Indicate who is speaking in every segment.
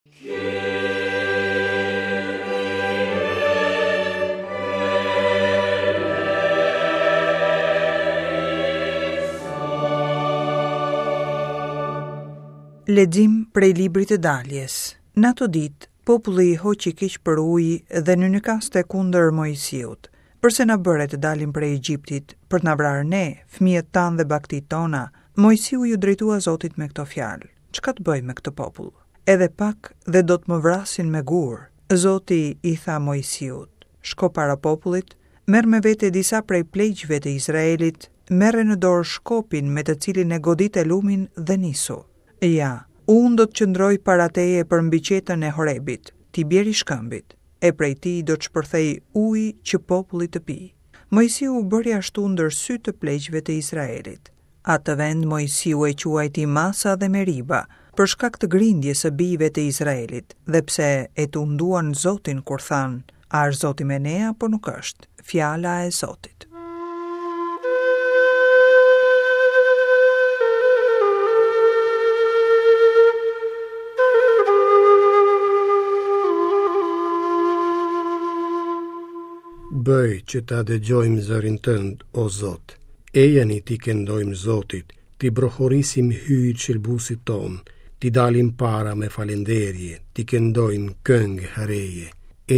Speaker 1: Lexim prej librit të daljes. Në ato ditë, populli i hoqi keq për ujë dhe nynykaste kundër Moisiut. Përse na bëre të dalim prej Egjiptit, për të na vrarë ne, fëmijët tanë dhe bagëtitë tona? Moisiu iu drejtua Zotit me këto fjalë. Çka të bëj me këtë popull? Edhe pak dhe do të më vrasin me gurë. Zoti i tha Moisiut, Shko para popullit, merr me vete disa prej pleqve të Izraelit, merre në dorë shkopin me të cilin e godite lumin dhe nisu. Ja, unë do të qëndroj para teje përmbi qetën e Horebit, ti bjeri shkëmbit, e prej tij do të shpërthejë ujë që populli të pijë. Moisiu bëri ashtu ndër sy të pleqve të Izraelit. Atë vend Moisiu e quajti Masa dhe Meriba, për shkak të grindjes së bijve të Izraelit, dhe pse e tunduan Zotin kur thanë, A është Zoti me ne apo nuk është? Fjala e Zotit.
Speaker 2: Bëj që ta dëgjojmë zërin tënd, o Zot. Ejani t'i këndojmë Zotit, t'i brohorisim Hyjit shëlbuesit tonë, t'i dalim para me falënderje, t'i këndojmë këngë të reje.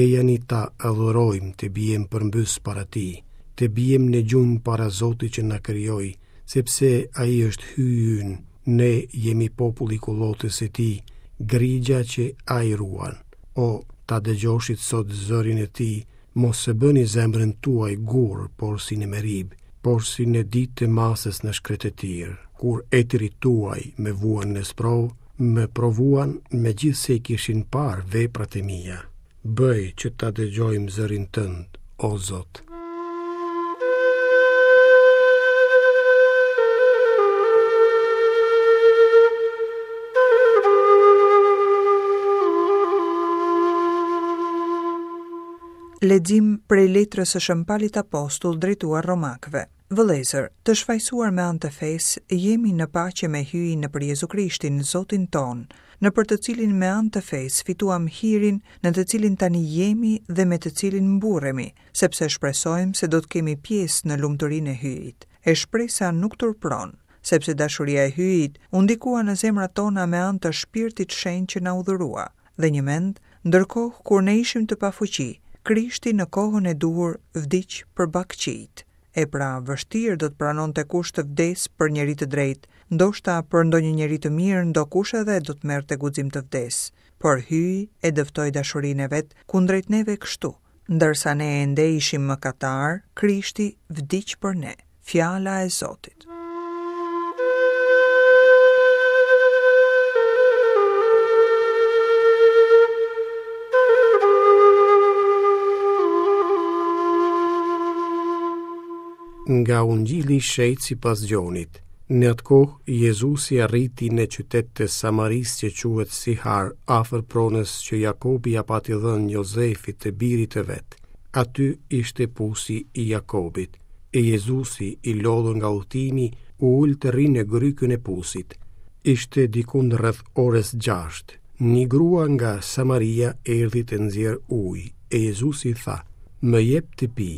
Speaker 2: Ejani ta adhurojmë të biem përmbys para tij, të biem në gjunjë para Zotit që na krijoi, sepse ai është Hyji ynë, ne jemi populli i kullotës së tij, grigja që ai ruan. O, ta dëgjoshit sot zërin e tij, Mos e bëni zemrën tuaj gur, porsi në Meribë, porsi në ditë të Masës në shkretëtirë, kur etërit tuaj më vunë në sprovë, më provuan megjithëse i kishin parë veprat e mia. Bëj që ta dëgjojmë zërin tënd, o Zot.
Speaker 1: Lexim prej letrës së Shën Palit Apostull drejtuar Romakëve. Vëllezër, të shfajësuar me anë të fesë, jemi në paqe me Hyjin nëpër Jezu Krishtin, Zotin tonë, nëpër të cilin me anë të fesë fituam hirin në të cilin tani jemi dhe me të cilin mburremi, sepse shpresojmë se do të kemi pjesë në lumturinë e Hyjit. E shpresa nuk turpëron, sepse dashuria e Hyjit u ndikua në zemrat tona me anë të Shpirtit Shenjt që na u dhurua. Dhe njëmend, ndërkohë kur ne ishim të pafuqi, Krishti në kohën e duhur vdiq për bakëqijtë. E pra, vështirë do të pranonte kush të vdesë për njeri të drejtë, ndoshta për ndonjë njeri të mirë ndokush edhe do të merrte guxim të vdesë. Por Hyji e dëftoi dashurinë e vet kundrejt neve kështu, ndërsa ne ende ishim mëkatarë, Krishti vdiq për ne. Fjala e Zotit.
Speaker 2: Nga Ungjilli i Shenjtë sipas Gjonit. Në atë kohë, Jezusi arriti në qytet të Samarisë që quhet Sihar, afër pronës që Jakobi ia pati dhënë Jozefit të birit të vet. Aty ishte pusi i Jakobit. E Jezusi, i lodhur nga udhëtimi, u ul të rrijë në grykën e pusit. Ishte dikund rreth orës 6. Një grua nga Samaria erdhi të nxjerrë ujë, e Jezusi i tha, Më jep të pi.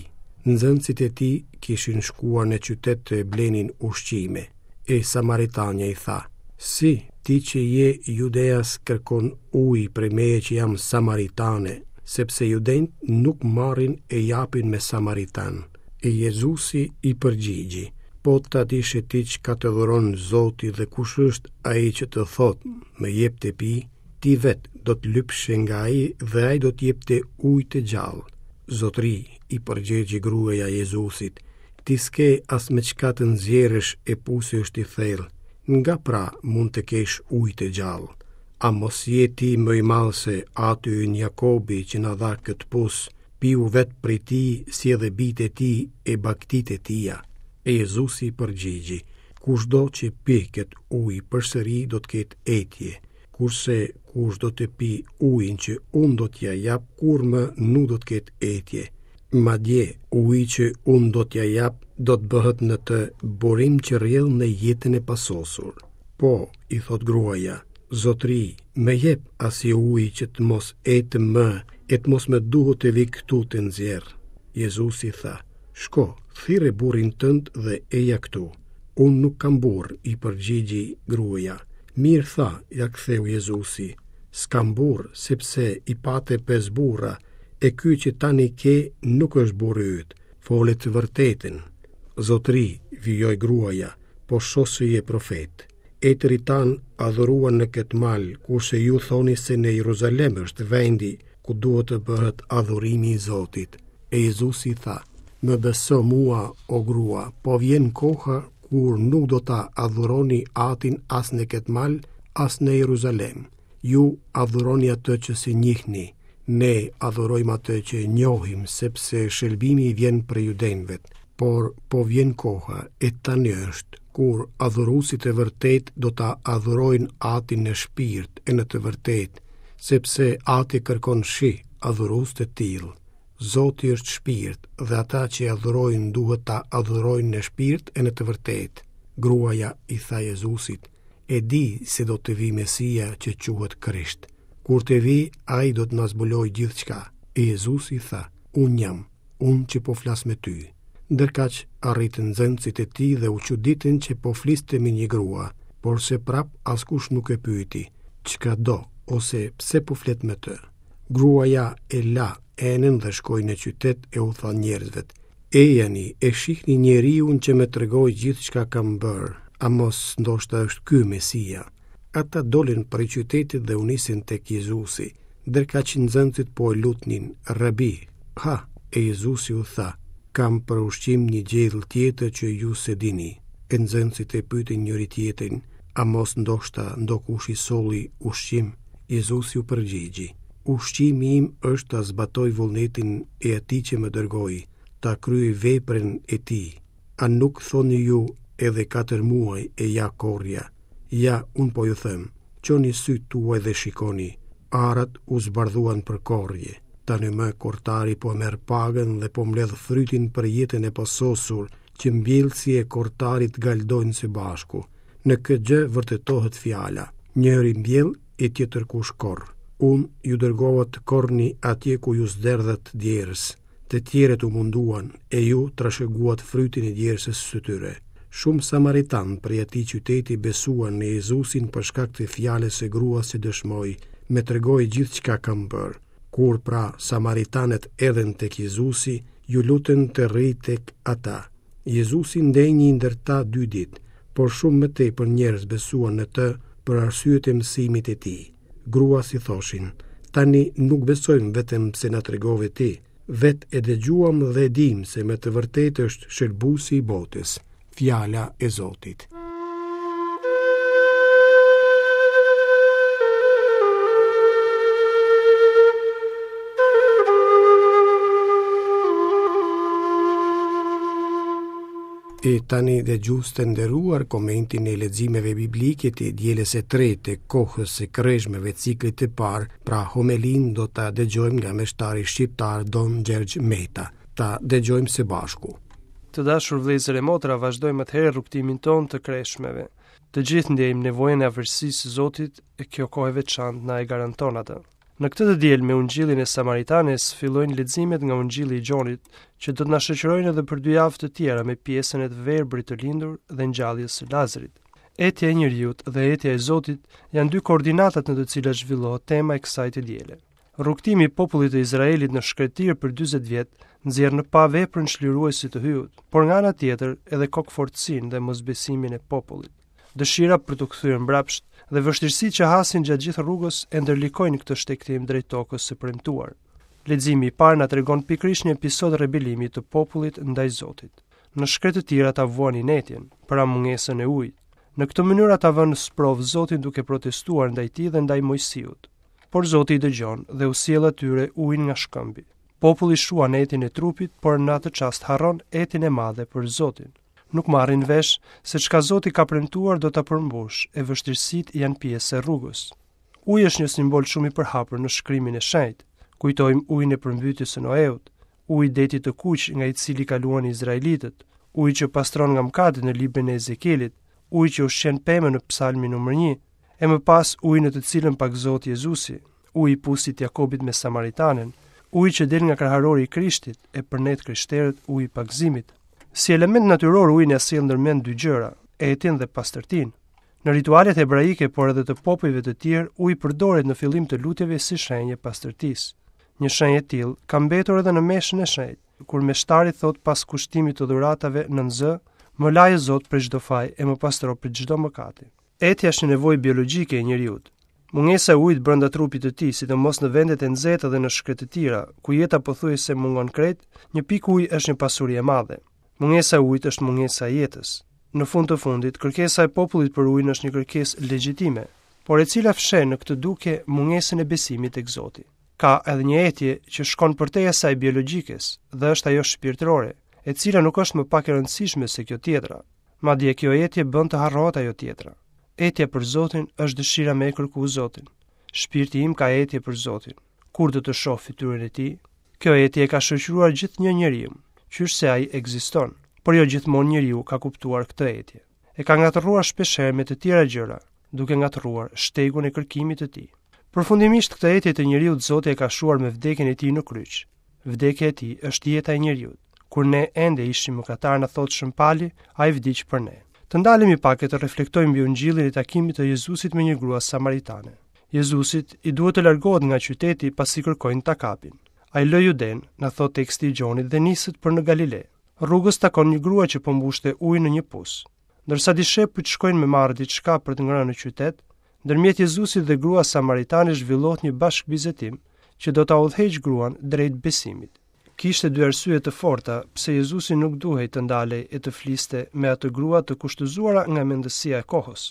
Speaker 2: Nxënësit e tij kishin shkuar në qytet të blenin ushqime. E Samaritanja i tha, Si, ti që je judeas kërkon ujë prej meje që jam samaritane, sepse judenjtë nuk marrin e japin me samaritanë. E Jezusi i përgjigji, Po ta dishe ti çka të dhuron Zoti dhe kush është ai që të thotë, më jep të pi, ti vetë do të lypshe nga ai dhe ai do të jepte ujë të gjallë. Zotëri, i përgjigji gruaja Jezusit, ti s'ke as me çka të nxjerrësh e pusi është i thellë, nga pra mund të kesh ujë të gjallë? A mos je ti më i madh se ati ynë Jakobi që na dha këtë pus, piu vetë prej tij si edhe bijtë e tij e bagëtitë e tija? E Jezusi i përgjigji, kushdo që pi këtë ujë përsëri do të ketë etje, kurse kushdo të pijë ujin që unë do t'ia jap, kurrë më nuk do të ketë etje. Madje, uji që unë do t'ia jap do të bëhet në të burim që rrjedh në jetën e pasosur. Po, i thotë gruaja, Zotëri, më jep asi uji që të mos etem më e të mos më duhet të vij këtu të nxjerr. Jezusi tha, Shko, thirre burrin tënd dhe eja këtu. Unë nuk kam burrë, i përgjigji gruaja. Mirë the, ia ktheu Jezusi, s'kam burrë, sepse i pate pesë burra, e ky që tani ke nuk është burri yt. Fole të vërtetën. Zotëri, vijoi gruaja, po shoh se je profet. Etërit tanë adhuruan në këtë mal, kurse ju thoni se në Jeruzalem është vendi ku duhet të bëhet adhurimi i Zotit. E Jezusi tha, Më beso mua, o grua, po vjen koha kur nuk do ta adhuroni Atin as në këtë mal, as në Jeruzalem. Ju adhuroni atë që s'e njihni, ne adhurojmë atë që e njohim, sepse shëlbimi vjen prej judenjve. Por po vjen koha, e tani është, kur adhuruesit e vërtetë do ta adhurojnë Atin në shpirt e në të vërtetë, sepse Ati kërkon shi adhurues të tillë. Zoti është shpirt dhe ata që e adhurojnë duhet ta adhurojnë në shpirt e në të vërtetë. Gruaja i tha Jezusit, E di se do të vijë Mesia që quhet Krisht. Kur të vijë, ai do të na zbulojë gjithçka. E Jezusi tha, Unë jam, unë që po flas me ty. Ndërkaq arritën nxënësit e tij dhe u çuditën që po fliste me një grua, porse prapë askush nuk e pyeti, çka do ose pse po flet me të. Gruaja e la enën dhe shkoi në qytet e u tha njerëzve, Ejani e shihni njeriun që më tregoi gjithçka kam bërë, a mos ndoshta është ky Mesia? Ata dolën prej qytetit dhe u nisën tek Jezusi. Ndërkaq nxënësit po e lutnin, Rabi, ha! E Jezusi u tha, Kam për ushqim një gjellë tjetër që ju s'e dini. E nxënësit e pyetën njëri-tjetrin, A mos ndoshta ndokush i solli ushqim? Jezusi u përgjigji, Ushqimi im është ta zbatoj vullnetin e atij që më dërgoi, ta kryej veprën e tij. A nuk thoni ju edhe katër muaj e ja korrja? Ja, unë po ju them, çoni sytë tuaj dhe shikoni, arat u zbardhuan për korrje. Tani më korrtari po merr pagën dhe po mbledh frytin për jetën e pasosur, që mbjellësi e korrtari të galdojnë së bashku. Në këtë gjë vërtetohet fjala, njëri mbjell e tjetërkush korr. Unë ju dërgova të korrni atje ku ju s'derdhët djersë. Të tjerët u munduan, e ju trashëguat frytin e djersës së tyre. Shumë samaritanë prej atij qyteti besuan në Jezusin për shkak të fjalës së gruas që dëshmoi, Më tregoi gjithçka kam bërë. Kur pra samaritanët erdhën tek Jezusi, iu lutën të rrijë tek ata. Jezusi ndenji ndër ta dy ditë, por shumë më tepër njerëz besuan në të për arsye të mësimit të tij. Gruas i thoshin, tani nuk besojmë vetëm pse na tregove ti, vetë e dëgjuam dhe e dimë se me të vërtetë është shëlbuesi i botës, fjala e Zotit. E tani dëgjues të nderuar komentin e leximeve biblike të dielës së tretë të kohës së kreshmeve ciklit të parë, pra homelinë do ta dëgjojmë nga meshtari shqiptar Don Gjergj Meta. Ta dëgjojmë së bashku.
Speaker 3: Të dashur vëllezër e motra, vazhdojmë atëherë rrugëtimin tonë të kreshmeve. Të gjithë ndjejmë nevojën e afërsisë së Zotit e kjo kohë e veçantë na e garanton atë. Në këtë të diel me Ungjillin e Samaritanes fillojnë leximet nga Ungjilli i Gjonit, që do të na shoqërojnë edhe për dy javë të tjera me pjesën e të verbrit të lindur dhe ngjalljes së Lazarit. Etja e njeriut dhe etja e Zotit janë dy koordinatat në të cilat zhvillohet tema e kësaj të diele. Rrugëtimi i popullit të Izraelit në shkretëtirë për 40 vjet nxjerr në pah veprën çliruese të Hyut, por nga ana tjetër edhe kokëfortësinë dhe mosbesimin e popullit. Dëshira për t'u kthyer mbrapsht dhe vështirësitë që hasin gjatë gjithë rrugës e ndërlikojnë këtë shtegtim drejt tokës së premtuar. Leximi i parë na tregon pikërisht një episod rebelimi të popullit ndaj Zotit. Në shkretëtirë ata vuanin etjen, pra mungesën e ujit. Në këtë mënyrë ata vënë në sprovë Zotin duke protestuar ndaj tij dhe ndaj Moisiut. Por Zoti i dëgjon dhe u sjell atyre ujin nga shkëmbi. Populli shuan etjen e trupit, por në atë çast harron etjen e madhe për Zotin. Nuk marrin vesh se çka Zoti ka premtuar do ta përmbushë e vështirësitë janë pjesë e rrugës. Uji është një simbol shumë i përhapur në shkrimin e shenjtë. Kujtojmë ujin e përmbytjes së Noeut, uji i detit të kuq nga i cili kaluan izraelitët, uji që pastron nga mëkatet në librin e Ezekielit, uji që ushqen pemën në psalmin numër 1. E më pas uji në të cilën pagëzohet Jezusi, uji i pusit të Jakobit me Samaritanen, uji që del nga kraharori i Krishtit, e për ne të krishterët uji i pagëzimit. Si element natyror uji na sjell ndërmend dy gjëra, etjen dhe pastërtinë. Në ritualet hebraike, por edhe të popujve të tjerë, uji përdoret në fillim të lutjeve si shenjë e pastërtisë. Një shenjë e tillë ka mbetur edhe në meshën e shenjtë, kur meshtari thotë pas kushtimit të dhuratave nën zë, më laj o Zot prej çdo faj e më pastro prej çdo mëkati. Etja është një nevojë biologjike e njeriut. Mungesa e ujit brenda trupit të tij, sidomos në vendet e nxehta dhe në shkretëtira, ku jeta pothuajse mungon krejt, një pikë ujë është një pasuri e madhe. Mungesa e ujit është mungesa e jetës. Në fund të fundit, kërkesa e popullit për ujin është një kërkesë legjitime, por e cila fsheh në këtë dukje mungesën e besimit tek Zoti. Ka edhe një etje që shkon përtej asaj biologjikes dhe është ajo shpirtërore, e cila nuk është më pak e rëndësishme se kjo tjetra. Madje kjo etje bën të harrohet ajo tjetra. Etja për Zotin është dëshira me e kërku Zotin. Shpirti im ka etje për Zotin. Kur do të shoh fytyrën e tij? Kjo etje e ka shoqëruar gjithnjë njeriun, qysh se ai ekziston, por jo gjithmonë njeriu ka kuptuar këtë etje. E ka ngatërruar shpeshherë me të tjera gjëra, duke ngatërruar shtegun e kërkimit të tij. Përfundimisht këtë etje të njeriut Zoti e ka shuar me vdekjen e tij në kryq. Vdekja e tij është jeta e njeriut. Kur ne ende ishim mëkatarë na thotë Shën Pali, ai vdiq për ne. Të ndalemi pak e të reflektojmë mbi ungjillin e takimit të Jezusit me një grua samaritane. Jezusit i duhet të largohet nga qyteti pasi kërkojnë ta kapin. Ai lë Judenë, na thotë teksti i Gjonit dhe niset për në Galile. Rrugës takon një grua që po mbushte ujë në një pus. Ndërsa dishepujt shkojnë me marrë diçka për të ngrënë në qytet, ndërmjet Jezusit dhe gruas samaritane zhvillohet një bashkëbisedim që do ta udhëheqë gruan drejt besimit. Kishte dy arsye të forta pse Jezusi nuk duhej të ndalej e të fliste me atë grua të kushtëzuara nga mendësia e kohës.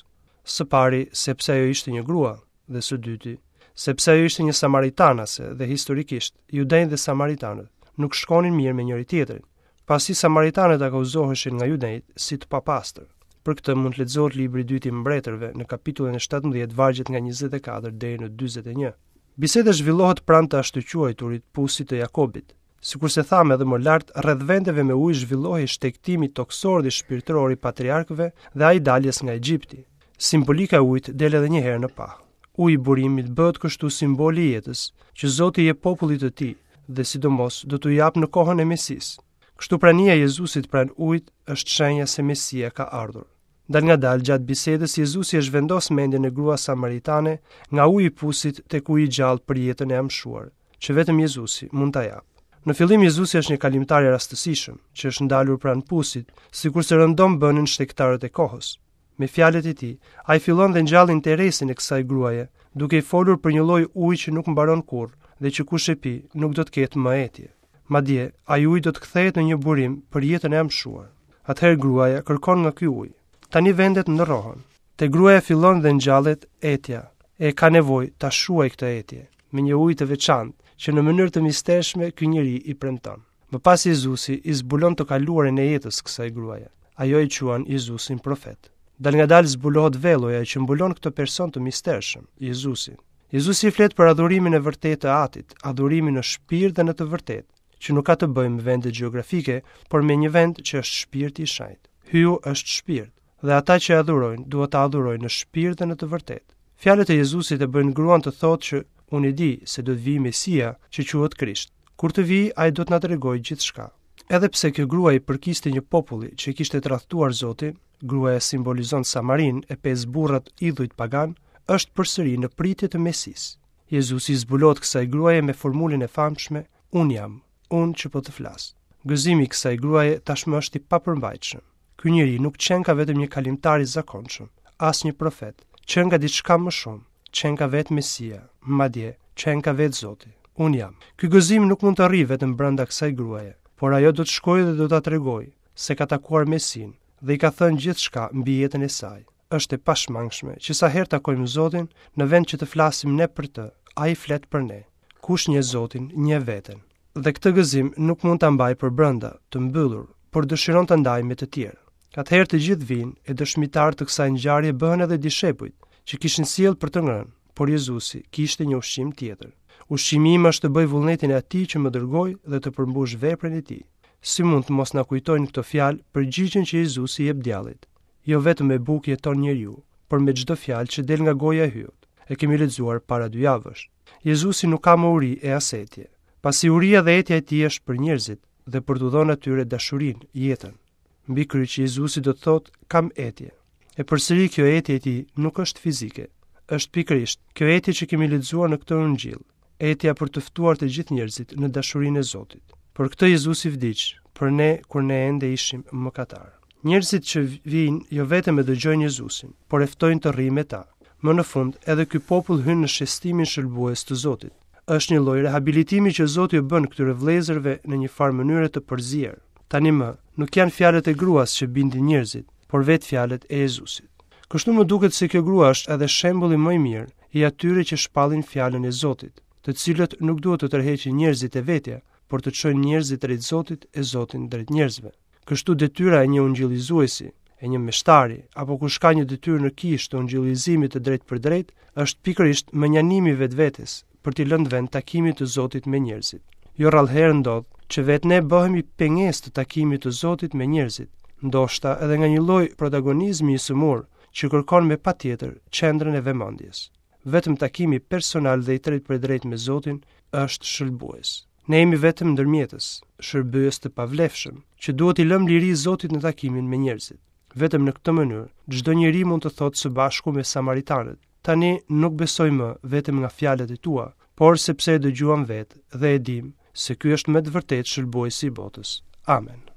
Speaker 3: Së pari, sepse ajo ishte një grua, dhe së dyti, sepse ajo ishte një samaritanase dhe historikisht, judenjtë dhe samaritanët nuk shkonin mirë me njëri-tjetrin, pasi samaritanët akuzoheshin nga judenjtë si të papastër. Për këtë mund të lexohet libri i dytë i Mbretërve në kapitullin e 17 vargjet nga 24 deri në 41. Biseda zhvillohet pranë të ashtuquajturit pusit të Jakobit. Sikurse thamë edhe më lart, rreth vendeve me ujë zhvillohej shtegtimi tokësor dhe shpirtëror i patriarkëve dhe ai i daljes nga Egjipti. Simbolika e ujit del edhe një herë në pah. Uji i burimit bëhet kështu simboli i jetës që Zoti i jep popullit të tij dhe sidomos do t'u japë në kohën e Mesisë. Kështu prania e Jezusit pranë ujit është shenja se Mesia ka ardhur. Dalngadalë gjatë bisedës Jezusi e zhvendos mendjen e gruas samaritane nga uji i pusit tek uji i gjallë për jetën e amshuar, që vetëm Jezusi mund ta japë. Në fillim Jezusi është një kalimtar i rastësishëm, që është ndalur pranë pusit, sikurse rëndom bënin shtegtarët e kohës. Me fjalët e tij, ai fillon dhe ngjall interesin e kësaj gruaje, duke i folur për një lloj uji që nuk mbaron kurrë dhe që kush e pi nuk do të ketë më etje. Madje, ai ujë do të kthehet në një burim për jetën e amshuar. Atëherë gruaja kërkon nga ky ujë. Tani vendet ndërrohen. Te gruaja fillon dhe ngjallet etja, e ka nevojë ta shuajë këtë etje me një ujë të veçantë që në mënyrë të mistershme ky njeri i premton. Më pas Jezusi i zbulon të kaluarën e jetës kësaj gruaje. Ajo e quan Jezusin profet. Dalngadalë zbulohet velloja që mbulon këtë person të mistershëm, Jezusin. Jezusi i flet për adhurimin e vërtetë të Atit, adhurimin në shpirt dhe në të vërtetë, që nuk ka të bëjë me vende gjeografike, por me një vend që është shpirti i shenjtë. Hyju është shpirt, dhe ata që e adhurojnë duhet ta adhurojnë në shpirt dhe në të vërtetë. Fjalët e Jezusit e bëjnë gruan të thotë që unë e di se do të vijë Mesia, që quhet Krisht. Kur të vijë, ai do të na tregojë gjithçka. Edhe pse kjo grua i përkiste një populli që e kishte tradhtuar Zotin, gruaja simbolizon Samarinë e pesë burrat idhujt paganë, është përsëri në pritje të Mesisë. Jezusi i zbulohet kësaj gruaje me formulën e famshme, Unë jam, unë që po të flas. Gëzimi i kësaj gruaje tashmë është i papërmbajtshëm. Ky njeri nuk qenka vetëm një kalimtar i zakonshëm, as një profet, qenka diçka më shumë, qenka vetë Mesia, madje qenka vetë Zoti. Unë jam. Ky gëzim nuk mund të rrijë vetëm brenda kësaj gruaje, por ajo do të shkojë dhe do ta tregojë se ka takuar Mesinë dhe i ka thënë gjithçka mbi jetën e saj. Është e pashmangshme që sa herë takojmë Zotin, në vend që të flasim ne për të, ai flet për ne. Kush njeh Zotin, njeh veten. Dhe këtë gëzim nuk mund ta mbajë përbrenda, të mbyllur, por dëshiron ta ndajë me të tjerë. Atëherë të gjithë vijnë, e dëshmitarë të kësaj ngjarje bëhen edhe dishepujt, që kishin sjellë për të ngrënë, por Jezusi kishte një ushqim tjetër. Ushqimi im është të bëj vullnetin e atij që më dërgoi dhe të përmbush veprën e tij. Si mund të mos na kujtojnë këto fjalë përgjigjen që Jezusi i jep djallit? Jo vetëm me bukë jeton njeriu, por me çdo fjalë që del nga goja e Hyjut. E kemi lexuar para dy javësh. Jezusi nuk ka më uri e as etje. Pasi uria dhe etja e tij është për njerëzit dhe për t'u dhënë atyre dashurinë, jetën. Mbi kryq Jezusi do të thotë kam etje. E përsëri kjo etje e tij nuk është fizike. Është pikërisht kjo etje që kemi lexuar në këtë ungjill, etja për të ftuar të gjithë njerëzit në dashurinë e Zotit. Për këtë Jezusi vdiq, për ne kur ne ende ishim mëkatarë. Njerëzit që vijnë jo vetëm e dëgjojnë Jezusin, por e ftojnë të rrijë me ta. Më në fund, edhe ky popull hyn në shestimin shëlbues të Zotit. Është një lloj rehabilitimi që Zoti u bën këtyre vëllezërve në një farë mënyre të përzier. Tani më, nuk janë fjalët e gruas që bindin njerëzit, por vetë fjalët e Jezusit. Kështu më duket se kjo grua është edhe shembulli më i mirë i atyre që shpallin fjalën e Zotit, të cilët nuk duhet të tërheqin njerëzit te vetja, por të çojnë njerëzit drejt Zotit e Zotin drejt njerëzve. Kështu detyra e një ungjillizuesi, e një meshtari, apo kush ka një detyrë në kishë të ungjillizimit të drejtpërdrejtë, është pikërisht mënjanimi i vetvetes për t'i lënë vend takimit të Zotit me njerëzit. Jo rrallëherë ndodh që vetë ne bëhemi pengesë të takimit të Zotit me njerëzit, ndoshta edhe nga një lloj protagonizmi i sëmurë që kërkon me patjetër qendrën e vëmendjes. Vetëm takimi personal dhe i drejtpërdrejtë me Zotin është shëlbues. Ne jemi vetëm ndërmjetës, shërbyes të pavlefshëm, që duhet t'i lëmë liri Zotit në takimin me njerëzit. Vetëm në këtë mënyrë, çdo njeri mund të thotë së bashku me samaritanët, tani nuk besoj më vetëm nga fjalët e tua, por sepse e dëgjuam vetë dhe e dimë se ky është me të vërtetë shëlbuesi i botës. Amen.